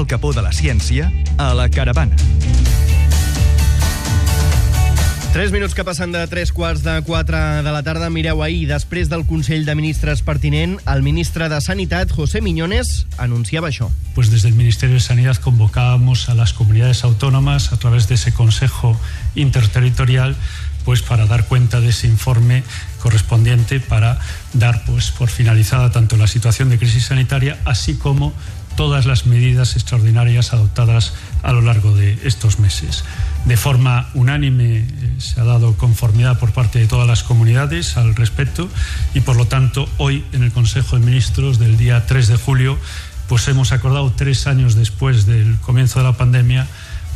al capó de la ciència a la caravana. 3 minuts que passen de 3:45 de la tarda. Mireu, ahir, després del Consell de Ministres pertinent, el ministre de Sanitat, José Miñones, anunciaba això. Pues desde el Ministerio de Sanidad convocábamos a las comunidades autónomas a través de ese Consejo Interterritorial pues para dar cuenta de ese informe correspondiente para dar pues por finalizada tanto la situación de crisis sanitaria así como todas las medidas extraordinarias adoptadas a lo largo de estos meses. De forma unánime se ha dado conformidad por parte de todas las comunidades al respecto y por lo tanto hoy en el Consejo de Ministros del día 3 de julio pues hemos acordado 3 años después del comienzo de la pandemia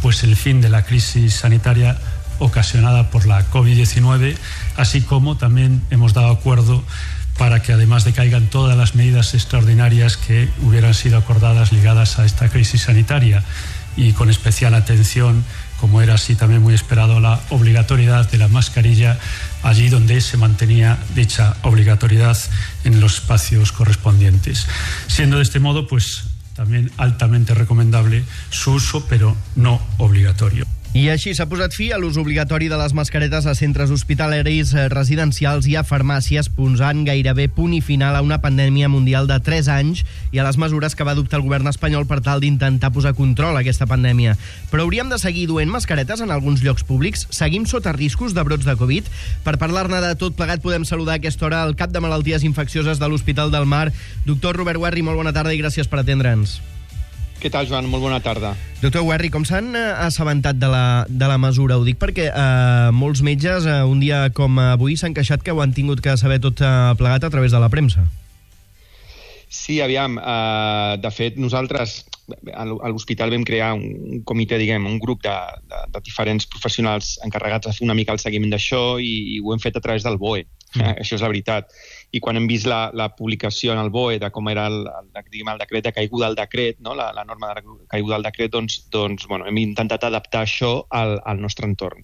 pues el fin de la crisis sanitaria ocasionada por la COVID-19, así como también hemos dado acuerdo para que además decaigan todas las medidas extraordinarias que hubieran sido acordadas ligadas a esta crisis sanitaria y con especial atención, como era así también muy esperado, la obligatoriedad de la mascarilla allí donde se mantenía dicha obligatoriedad en los espacios correspondientes. Siendo de este modo, pues también altamente recomendable su uso, pero no obligatorio. I així s'ha posat fi a l'ús obligatori de les mascaretes a centres hospitalaris, residencials i a farmàcies, posant gairebé punt i final a una pandèmia mundial de 3 anys i a les mesures que va adoptar el govern espanyol per tal d'intentar posar control a aquesta pandèmia. Però hauríem de seguir duent mascaretes en alguns llocs públics? Seguim sota riscos de brots de Covid? Per parlar-ne de tot plegat podem saludar a aquesta hora el cap de Malalties Infeccioses de l'Hospital del Mar, doctor Robert Werri. Molt bona tarda i gràcies per atendre'ns. Què tal, Joan? Molt bona tarda. Doctor Werri, com s'han assabentat de la mesura? Ho dic perquè molts metges un dia com avui s'han queixat que ho han tingut que saber tot plegat a través de la premsa. Sí, aviam, de fet, nosaltres a l'hospital vam crear un comitè, diguem, un grup de diferents professionals encarregats de fer una mica el seguiment d'això i ho hem fet a través del BOE. Això és la veritat. I quan hem vist la publicació en el BOE de com era el decret de caiguda del decret, no? la norma de caiguda del decret, doncs bueno, hem intentat adaptar això al nostre entorn,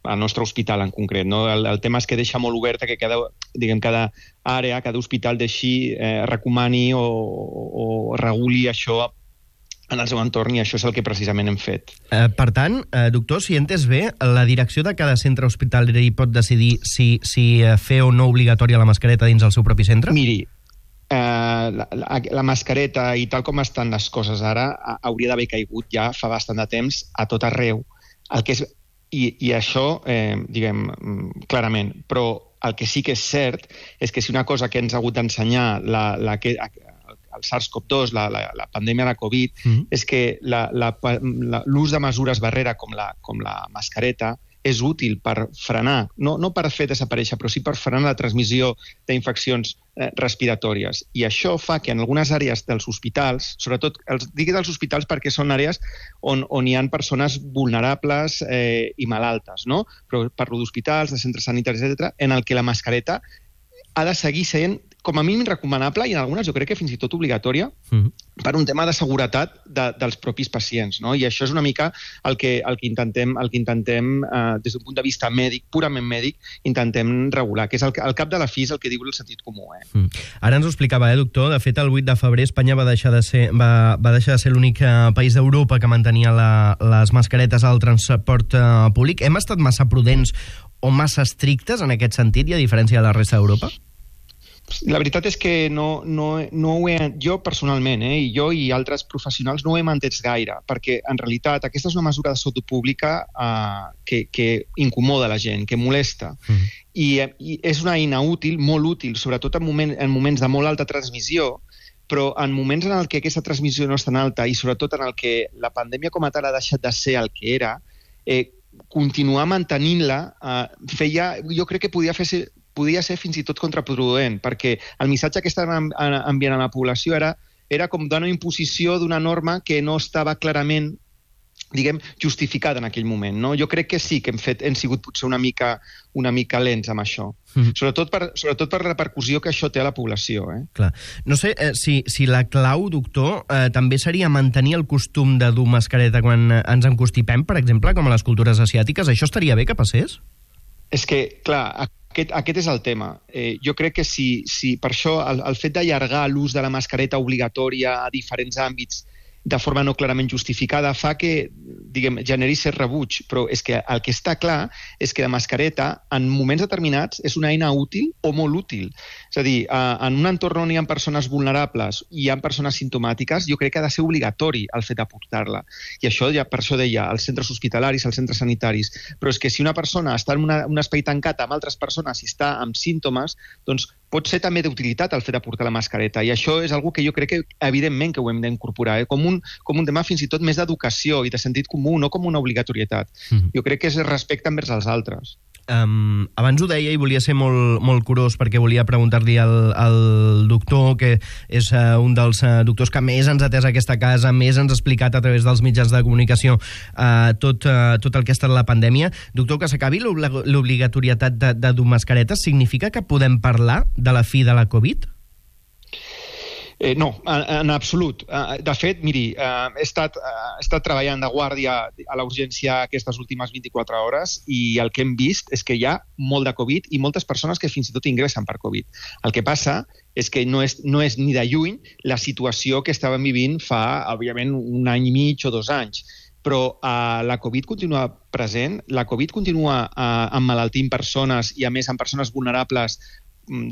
al nostre hospital en concret. No? El tema és que deixa molt oberta que cada àrea, cada hospital deixi, recomani o reguli això en el seu entorn, i això és el que precisament hem fet. Per tant, doctor, si he entès bé, la direcció de cada centre hospitalari pot decidir si fer o no obligatòria la mascareta dins el seu propi centre? Miri, la mascareta i tal com estan les coses ara hauria d'haver caigut ja fa bastant de temps a tot arreu. I això, diguem, clarament, però el que sí que és cert és que si una cosa que ens ha hagut d'ensenyar el SARS-CoV-2, la pandèmia de Covid, és que l'ús de mesures barrera com la mascareta és útil per frenar, no per fer desaparèixer, però sí per frenar la transmissió d'infeccions respiratòries. I això fa que en algunes àrees dels hospitals, sobretot, dic dels hospitals perquè són àrees on hi ha persones vulnerables i malaltes, no? Però parlo d'hospitals, de centres sanitaris, etc., en el que la mascareta ha de seguir sent com a mínim recomanable i en algunes jo crec que fins i tot obligatòria per un tema de seguretat dels propis pacients, no? I això és una mica el que intentem des d'un punt de vista mèdic, purament mèdic, intentem regular, que és al cap de la fi és el que diu el sentit comú. Ara ens ho explicava, doctor. De fet, el 8 de febrer Espanya va deixar de ser l'únic país d'Europa que mantenia les mascaretes al transport públic. Hem estat massa prudents o massa estrictes en aquest sentit i a diferència de la resta d'Europa? La veritat és que jo personalment, i jo i altres professionals no ho hem entès gaire, perquè en realitat aquesta és una mesura de salut pública que incomoda la gent, que molesta. I és una eina útil, molt útil, sobretot en moments de molt alta transmissió, però en moments en què aquesta transmissió no és tan alta i sobretot en què la pandèmia com a tal ha deixat de ser el que era, continuar mantenint-la jo crec que podia ser fins i tot contraproduent, perquè el missatge que estaven enviant a la població era com d'una imposició d'una norma que no estava clarament, diguem, justificada en aquell moment. No? Jo crec que sí que hem sigut potser una mica lents amb això. Sobretot per la repercussió que això té a la població. Clar. No sé si la clau, doctor, també seria mantenir el costum de dur mascareta quan ens encostipem, per exemple, com a les cultures asiàtiques. Això estaria bé que passés? És que, clar, aquest és el tema. Jo crec que si per això el fet d'allargar l'ús de la mascareta obligatòria a diferents àmbits de forma no clarament justificada fa que, diguem, generi cert rebuig, però és que el que està clar és que la mascareta en moments determinats és una eina útil o molt útil. És a dir, en un entorn on hi ha persones vulnerables i hi ha persones simptomàtiques, jo crec que ha de ser obligatori el fet de portar-la. I això, ja, per això deia, als centres hospitalaris, als centres sanitaris. Però és que si una persona està en un espai tancat amb altres persones i està amb símptomes, doncs pot ser també d'utilitat el fet de portar la mascareta. I això és una que jo crec que, evidentment, que ho hem d'incorporar, com un tema fins i tot més d'educació i de sentit comú, no com una obligatorietat. Jo crec que és respecte envers els altres. Abans ho deia i volia ser molt curós perquè volia preguntar-li al doctor, que és un dels doctors que més ens ha atès aquesta casa, més ens ha explicat a través dels mitjans de comunicació tot el que ha estat la pandèmia. Doctor, que s'acabi l'obligatorietat de dur mascaretes significa que podem parlar de la fi de la Covid? No, en absolut. De fet, miri, he estat treballant de guàrdia a la urgència aquestes últimes 24 hores i el que hem vist és que hi ha molt de Covid i moltes persones que fins i tot ingressen per Covid. El que passa és que no és ni de lluny la situació que estàvem vivint fa, òbviament, un any i mig o 2 anys. Però la Covid continua present, la Covid continua emmalaltint persones i, a més, en persones vulnerables,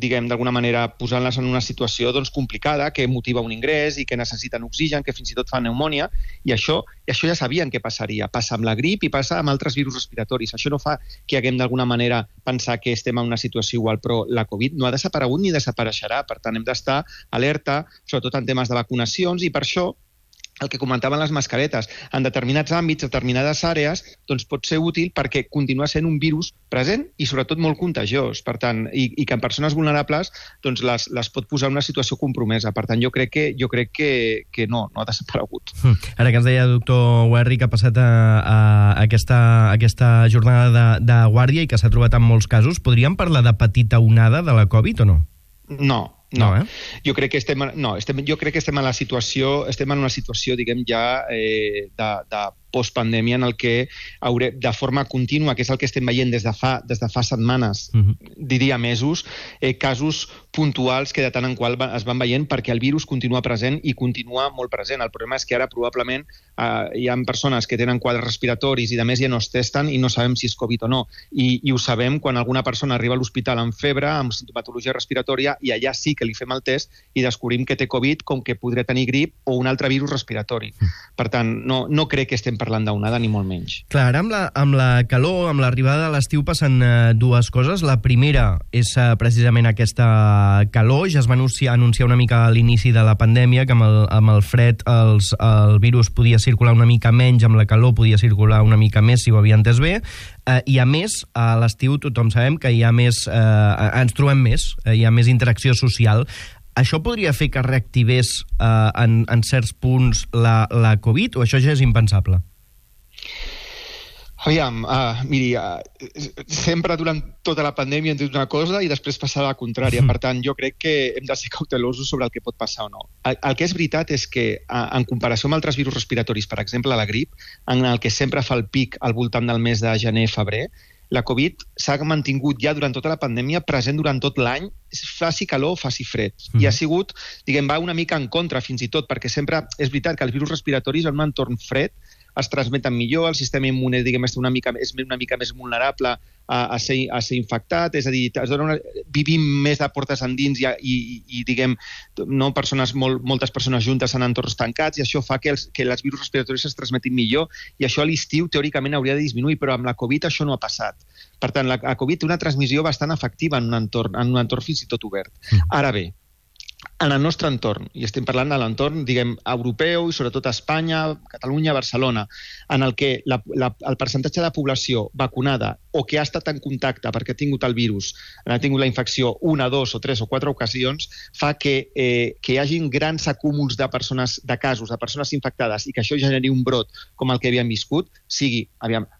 diguem, d'alguna manera, posant-les en una situació complicada, que motiva un ingrés i que necessiten oxigen, que fins i tot fa pneumònia, i això ja sabien què passaria. Passa amb la grip i passa amb altres virus respiratoris. Això no fa que haguem d'alguna manera pensar que estem en una situació igual, però la Covid no ha desaparegut ni desapareixerà. Per tant, hem d'estar alerta, sobretot en temes de vacunacions, i per això el que comentaven les mascaretes, en determinats àmbits, determinades àrees, doncs pot ser útil perquè continua sent un virus present i sobretot molt contagiós. Per tant, i que en persones vulnerables doncs les pot posar en una situació compromesa. Per tant, jo crec que no ha desaparegut. Ara que ens deia el doctor Werri que ha passat a aquesta jornada de guàrdia i que s'ha trobat en molts casos, podríem parlar de petita onada de la Covid o no? No. Jo crec que estem en una situació, diguem, ja de postpandèmia en el que de forma contínua, que és el que estem veient des de fa setmanes, diria mesos, casos puntuals que de tant en qual es van veient perquè el virus continua present i continua molt present. El problema és que ara probablement hi ha persones que tenen quadres respiratoris i a més ja no es testen i no sabem si és Covid o no. I ho sabem quan alguna persona arriba a l'hospital amb febre, amb sintomatologia respiratòria, i allà sí que li fem el test i descobrim que té Covid, com que podria tenir grip o un altre virus respiratori. Per tant, no crec que estem parlant d'onada, ni molt menys. Clar, ara amb la calor, amb l'arribada de l'estiu, passen dues coses. La primera és precisament aquesta calor. Ja es va anunciar una mica a l'inici de la pandèmia que amb el fred el virus podia circular una mica menys, amb la calor podia circular una mica més, si ho havia entès bé. I a més, a l'estiu tothom sabem que hi ha més, ens trobem més, hi ha més interacció social. Això podria fer que reactivés en certs punts la Covid o això ja és impensable? Aviam, miri, sempre durant tota la pandèmia hem dit una cosa i després passar la contrària. Per tant, jo crec que hem de ser cautelosos sobre el que pot passar o no. El que és veritat és que, en comparació amb altres virus respiratoris, per exemple la grip, en el que sempre fa el pic al voltant del mes de gener-febrer, la Covid s'ha mantingut ja durant tota la pandèmia present durant tot l'any, faci calor o faci fred. I ha sigut, diguem, va una mica en contra fins i tot, perquè sempre és veritat que els virus respiratoris en un entorn fred es transmeten millor, el sistema immune, diguem, és una mica més vulnerable a ser infectat, és a dir, vivim més de portes endins i diguem, no, moltes persones juntes en entorns tancats, i això fa que els virus respiratoris es transmetin millor, i això a l'estiu teòricament hauria de disminuir, però amb la Covid això no ha passat. Per tant, la Covid té una transmissió bastant efectiva en un entorn fins i tot obert. Ara bé, en el nostre entorn, i estem parlant de l'entorn, diguem, europeu i sobretot a Espanya, Catalunya, Barcelona, en el que el percentatge de població vacunada o que ha estat en contacte perquè ha tingut el virus, ha tingut la infecció 1, 2 o 3 o 4 ocasions, fa que hi hagin grans acúmuls de casos, de persones infectades, i que això generi un brot com el que havíem viscut, sigui,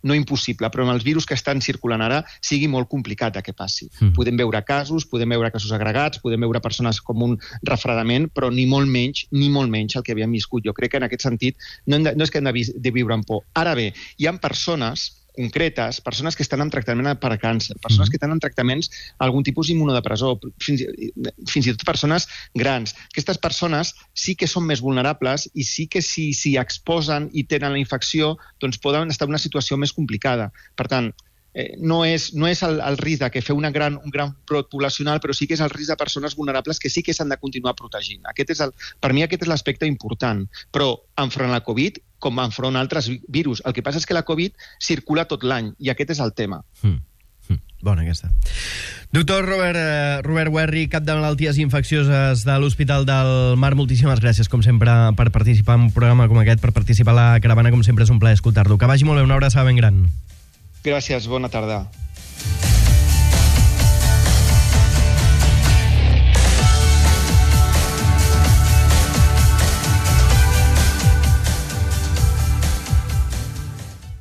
no impossible, però amb els virus que estan circulant ara, sigui molt complicat que passi. Podem veure casos agregats, podem veure persones com un refredament, però ni molt menys el que havíem viscut. Jo crec que en aquest sentit no és que hem de viure amb por. Ara bé, hi ha persones concretes, persones que estan en tractament per càncer, persones que estan en tractaments algun tipus d'immunodepressor, fins i tot persones grans. Aquestes persones sí que són més vulnerables i sí que si s'hi exposen i tenen la infecció, doncs poden estar en una situació més complicada. Per tant, no és el risc de que fer un gran brot poblacional, però sí que és el risc de persones vulnerables que sí que s'han de continuar protegint. Per mi aquest és l'aspecte important. Però enfront la Covid, com enfront altres virus, el que passa és que la Covid circula tot l'any i aquest és el tema. Bona aquesta. Doctor Robert Werri, cap de malalties infeccioses de l'Hospital del Mar, moltíssimes gràcies, com sempre, per participar en un programa com aquest, per participar a la caravana, com sempre és un plaer escoltar-lo. Que vagi molt bé, una abraçada ben gran. Gràcies, bona tarda.